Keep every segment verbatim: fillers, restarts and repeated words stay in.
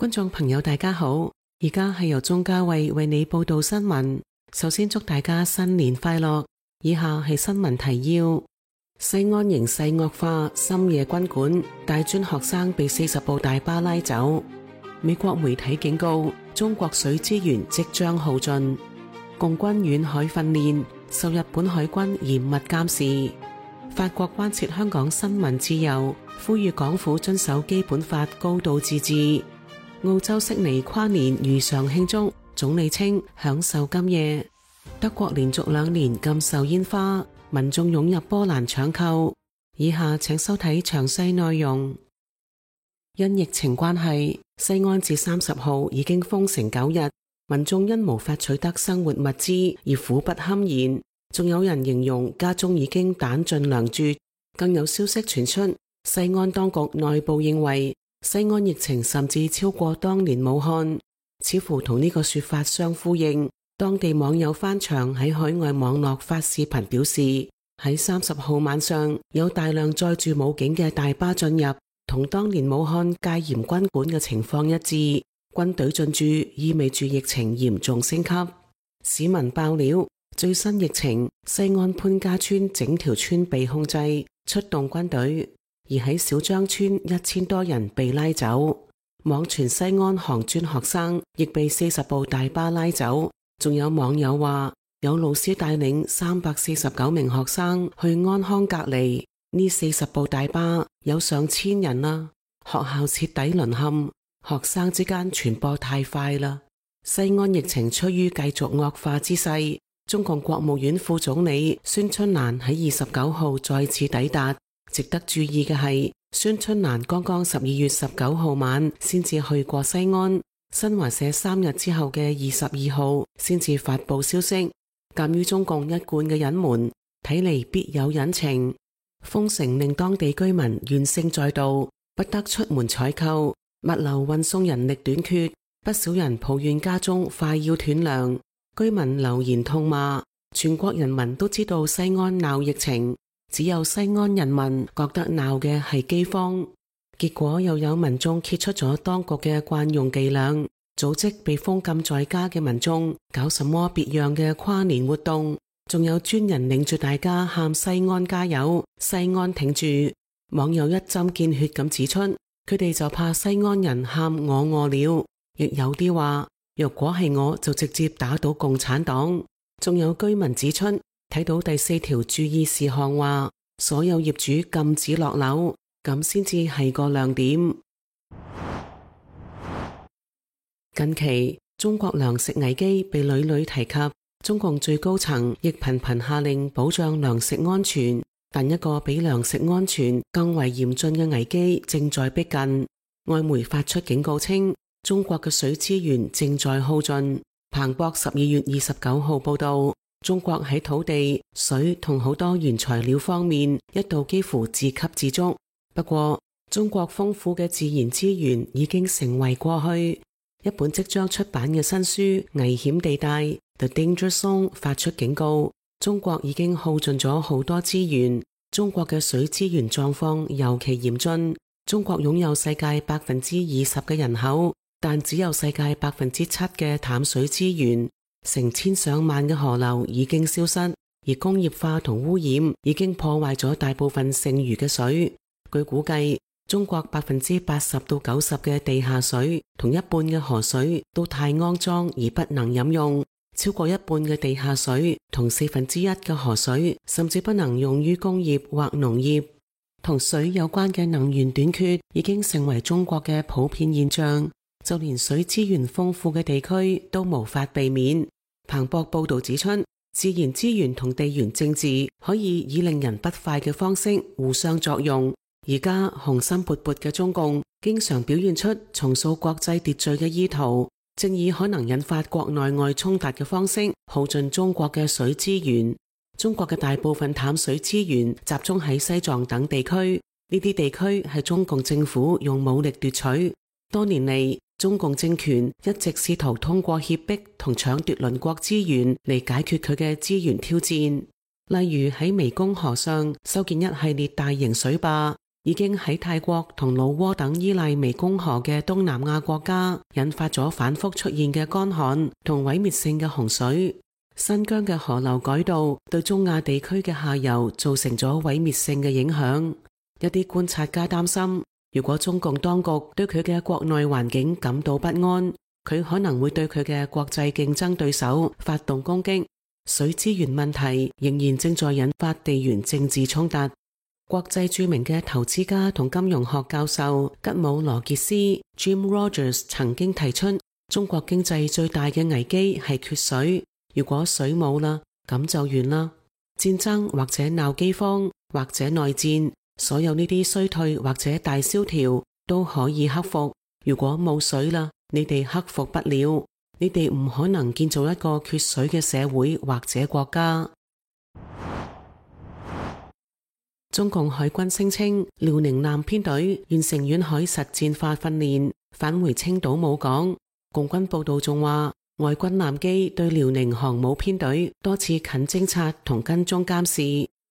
觀眾朋友大家好，而家係由鍾嘉慧為你報道新聞。首先祝大家新年快樂。以下係新聞提要：西安形勢惡化，深夜軍管，大專學生被四十部大巴拉走。美國媒體警告，中國水資源即將耗盡。共軍遠海訓練，受日本海軍嚴密監視。法國關切香港新聞自由，呼籲港府遵守基本法高度自治。澳洲悉尼跨年如常慶祝，總理稱享受今夜。德國連續兩年禁售煙花，民眾湧入波蘭搶購。以下請收睇詳細內容。因疫情關係，西安至三十號已經封城九日，民眾因無法取得生活物資而苦不堪言。仲有人形容家中已經彈盡糧絕。更有消息傳出，西安當局內部認為西安疫情甚至超過當年武漢，似乎同呢個說法相呼應。當地網友翻牆喺海外網絡發視頻表示，喺三十號晚上有大量載住武警嘅大巴進入，同當年武漢戒嚴軍管嘅情況一致。軍隊進駐意味住疫情嚴重升級。市民爆料，最新疫情，西安潘家村整條村被控制，出動軍隊。而喺小張村一千多人被拉走，網傳西安航專學生亦被四十部大巴拉走。仲有網友話，有老師帶領三百四十九名學生去安康隔離，呢四十部大巴有上千人啦。學校徹底淪陷，學生之間傳播太快啦。西安疫情趨於繼續惡化之勢，中共國務院副總理孫春蘭喺二十九號再次抵達。值得注意嘅係，孫春蘭剛剛十二月十九號晚先至去過西安，新華社三日之後嘅二十二號先至發佈消息。鑒於中共一貫嘅隱瞞，睇嚟必有隱情。封城令當地居民怨聲載道，不得出門採購，物流運送人力短缺，不少人抱怨家中快要斷糧。居民留言痛罵，全國人民都知道西安鬧疫情，只有西安人民覺得鬧嘅係饑荒。結果又有民眾揭出咗當局嘅慣用伎倆，組織被封禁在家嘅民眾搞什麼別樣嘅跨年活動，仲有專人領住大家喊西安加油，西安挺住。網友一針見血咁指出，佢哋就怕西安人喊我餓了，亦有啲話若果係我就直接打倒共產黨。仲有居民指出，睇到第四條注意事項話，所有業主禁止落樓，咁先至係個亮點。近期中國糧食危機被屢屢提及，中共最高層亦頻頻下令保障糧食安全，但一個比糧食安全更為嚴峻嘅危機正在逼近。外媒發出警告稱，中國嘅水資源正在耗盡。彭博十二月二十九號報道，中國喺土地、水同好多原材料方面一度幾乎自給自足。不過，中國豐富嘅自然資源已經成為過去。一本即將出版嘅新書《危險地帶》The Danger Zone 發出警告，中國已經耗盡咗好多資源。中國嘅水資源狀況尤其嚴峻。中國擁有世界百分之二十嘅人口，但只有世界百分之七嘅淡水資源。成千上萬嘅河流已經消失，而工業化同污染已經破壞咗大部分剩餘嘅水。據估計，中國百分之八十到九十嘅地下水同一半嘅河水都太骯髒而不能飲用，超過一半嘅地下水同四分之一嘅河水甚至不能用於工業或農業。同水有關嘅能源短缺已經成為中國嘅普遍現象，就連水資源豐富嘅地區都無法避免。彭博報道指出，自然資源同地緣政治可以以令人不快嘅方式互相作用。而家雄心勃勃嘅中共經常表現出重塑國際秩序嘅意圖，正以可能引發國內外衝突嘅方式耗盡中國嘅水資源。中國嘅大部分淡水資源集中喺西藏等地區，呢啲地區係中共政府用武力奪取。多年嚟，中共政權一直試圖通過脅迫同搶奪鄰國資源嚟解決佢嘅資源挑戰，例如喺湄公河上修建一系列大型水壩，已經喺泰國同老撾等依賴湄公河嘅東南亞國家引發咗反覆出現嘅乾旱同毀滅性嘅洪水。新疆嘅河流改道對中亞地區嘅下游造成咗毀滅性嘅影響。一啲觀察家擔心，如果中共當局對佢嘅國內環境感到不安，佢可能會對佢嘅國際競爭對手發動攻擊。水資源問題仍然正在引發地緣政治衝突。國際著名嘅投資家同金融學教授吉姆羅傑斯 Jim Rogers 曾經提出，中國經濟最大嘅危機係缺水。如果水冇啦，咁就完啦。戰爭或者鬧饑荒或者內戰，所有呢啲衰退或者大蕭條都可以克服。如果冇水啦，你哋克服不了，你哋唔可能建造一個缺水嘅社會或者國家。中共海軍聲稱遼寧艦編隊完成遠海實戰化訓練，返回青島母港。共軍報道仲話，外軍艦機對遼寧航母編隊多次近偵察同跟蹤監視，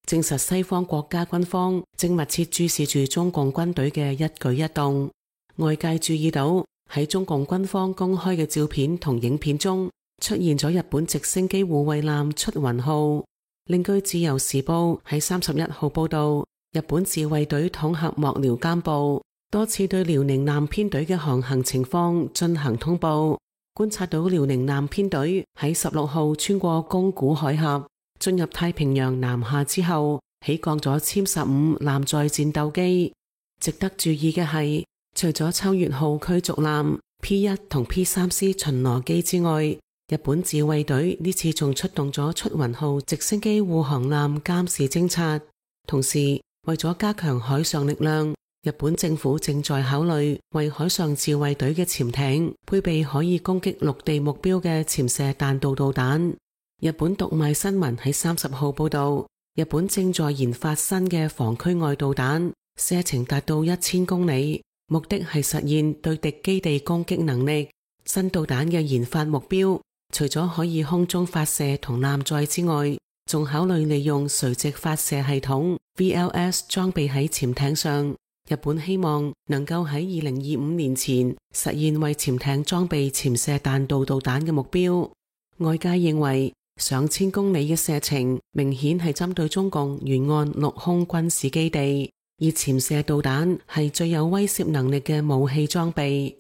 證實西方國家軍方正密切注視住中共軍隊嘅一舉一動。外界注意到喺中共軍方公開嘅照片同影片中，出現咗日本直升機護衛艦出雲號。另據自由時報喺三十一號報道，日本自衛隊統合幕僚監部多次對遼寧艦編隊嘅航行情況進行通報，觀察到遼寧艦編隊喺十六號穿過宮古海峽進入太平洋南下之後，起降咗殲十五艦載戰鬥機。值得注意嘅係，除咗秋月號驅逐艦 P 一 同 P 三 C 巡邏機之外，日本自衛隊呢次仲出動咗出雲號直升機護航艦監視偵察。同時，為咗加強海上力量，日本政府正在考慮為海上自衛隊嘅潛艇配備可以攻擊陸地目標嘅潛射彈道導彈。日本讀賣新聞喺三十號報道，日本正在研發新嘅防區外導彈，射程達到一千公里，目的係實現對敵基地攻擊能力。新導彈嘅研發目標，除咗可以空中發射同艦載之外，仲考慮利用垂直發射系統 V L S 裝備喺潛艇上。日本希望能夠喺二零二五年前實現為潛艇裝備潛射彈道導彈嘅目標。外界認為上千公里嘅射程明顯係針對中共沿岸陸空軍事基地，而潛射導彈係最有威懾能力嘅武器裝備。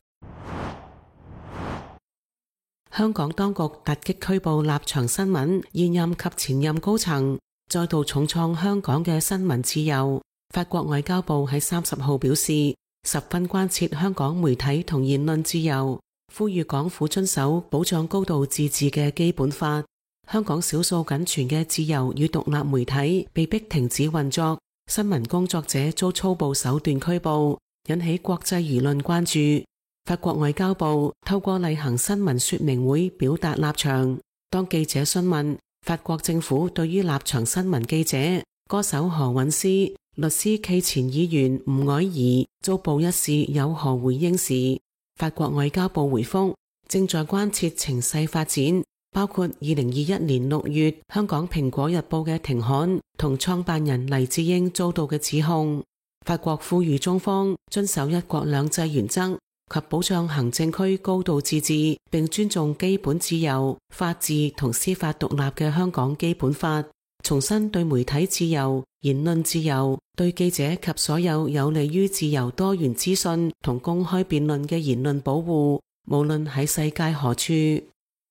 香港當局突擊拘捕立場新聞現任及前任高層，再度重創香港嘅新聞自由。法國外交部喺三十號表示，十分關切香港媒體同言論自由，呼籲港府遵守保障高度自治嘅基本法。香港少數僅存嘅自由與獨立媒體被迫停止運作，新聞工作者遭粗暴手段拘捕，引起國際輿論關注。法國外交部透過例行新聞說明會表達立場。當記者詢問法國政府對於立場新聞記者、歌手何韻詩、律師暨前議員吳靄儀遭捕一事有何回應時，法國外交部回覆正在關切情勢發展，包括二零二一年六月香港蘋果日報嘅停刊同創辦人黎智英遭到嘅指控。法國呼籲中方遵守一國兩制原則及保障行政區高度自治，並尊重基本自由、法治同司法獨立嘅香港基本法，重申對媒體自由、言論自由、對記者及所有有利於自由多元資訊同公開辯論嘅言論保護，無論喺世界何處。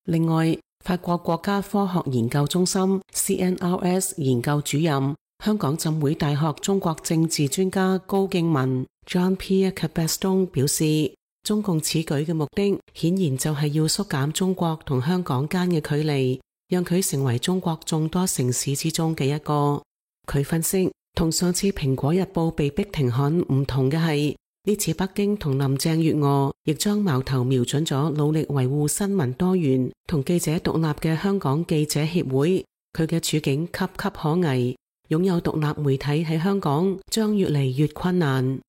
另外，法國國家科學研究中心 C N R S 研究主任、香港浸會大學中國政治專家高敬文 Jean-Pierre Cabeston 表示，中共此舉嘅目的顯然就係要縮減中國同香港間嘅距離，讓佢成為中國眾多城市之中嘅一個。佢分析，同上次蘋果日報被逼停刊唔同嘅係，呢次北京同林鄭月娥亦將矛頭瞄準咗努力維護新聞多元同記者獨立嘅香港記者協會。佢嘅處境岌岌可危，擁有獨立媒體喺香港將越嚟越困難。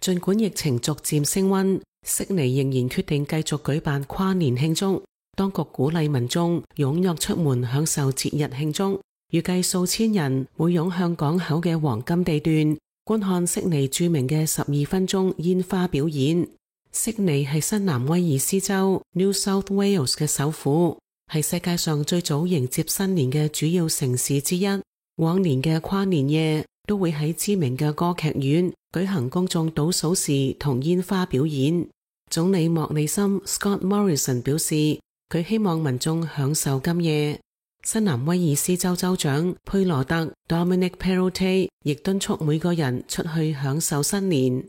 儘管疫情逐漸升溫，悉尼仍然決定繼續舉辦跨年慶祝。當局鼓勵民眾踴躍出門享受節日慶祝。預計數千人會湧向港口嘅黃金地段，觀看悉尼著名嘅十二分鐘煙花表演。悉尼係新南威爾斯州 New South Wales 嘅首府，係世界上最早迎接新年嘅主要城市之一。往年嘅跨年夜都會喺知名嘅歌劇院舉行公眾倒數時同煙花表演。總理莫里森 Scott Morrison 表示，佢希望民眾享受今夜。新南威爾斯州州長佩羅特 Dominic Perrottet 亦敦促每個人出去享受新年。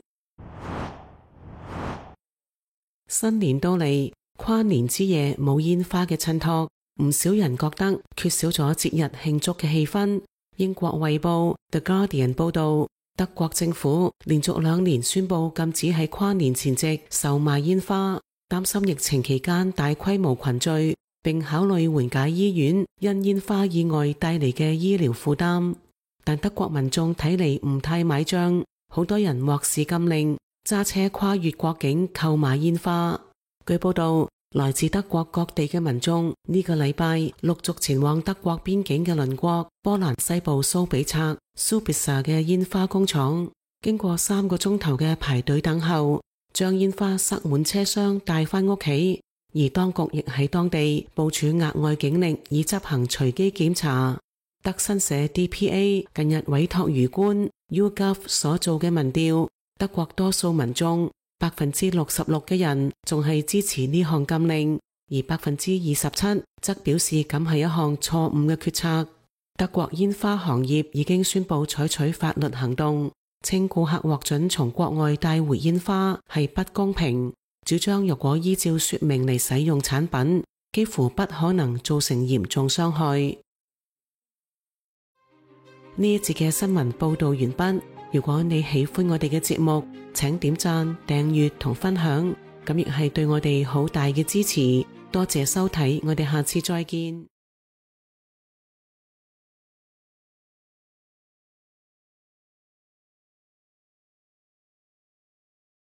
新年到嚟，跨年之夜冇煙花嘅襯托，唔少人覺得缺少咗節日慶祝嘅氣氛。英國衛報 The Guardian 報道，德國政府連續兩年宣布禁止喺跨年前夕售賣煙花，擔心疫情期間大規模群聚，並考慮緩解醫院因煙花意外帶嚟嘅醫療負擔。但德國民眾睇嚟唔太買賬，好多人漠視禁令，揸車跨越國境購買煙花。據報道，來自德國各地嘅民眾呢個禮拜陸續前往德國邊境嘅鄰國波蘭西部蘇比策 Subica 嘅煙花工廠，經過三個鐘頭嘅排隊等候，將煙花塞滿車廂帶返屋企。而當局亦喺當地部署額外警力以執行隨機檢查。德新社 D P A 近日委託魚官 YouGov 所做嘅民調，德國多數民眾百分之六十六嘅人仲係支持呢項禁令，而百分之二十七則表示咁係一項錯誤嘅決策。德國煙花行業已經宣布採取法律行動，稱顧客獲准從國外帶回煙花係不公平，主張若果依照說明嚟使用產品，幾乎不可能造成嚴重傷害。呢一節嘅新聞報道完畢。如果你喜歡我哋嘅節目，請點讚、訂閱同分享，咁亦係對我哋好大嘅支持。多謝收睇，我哋下次再見。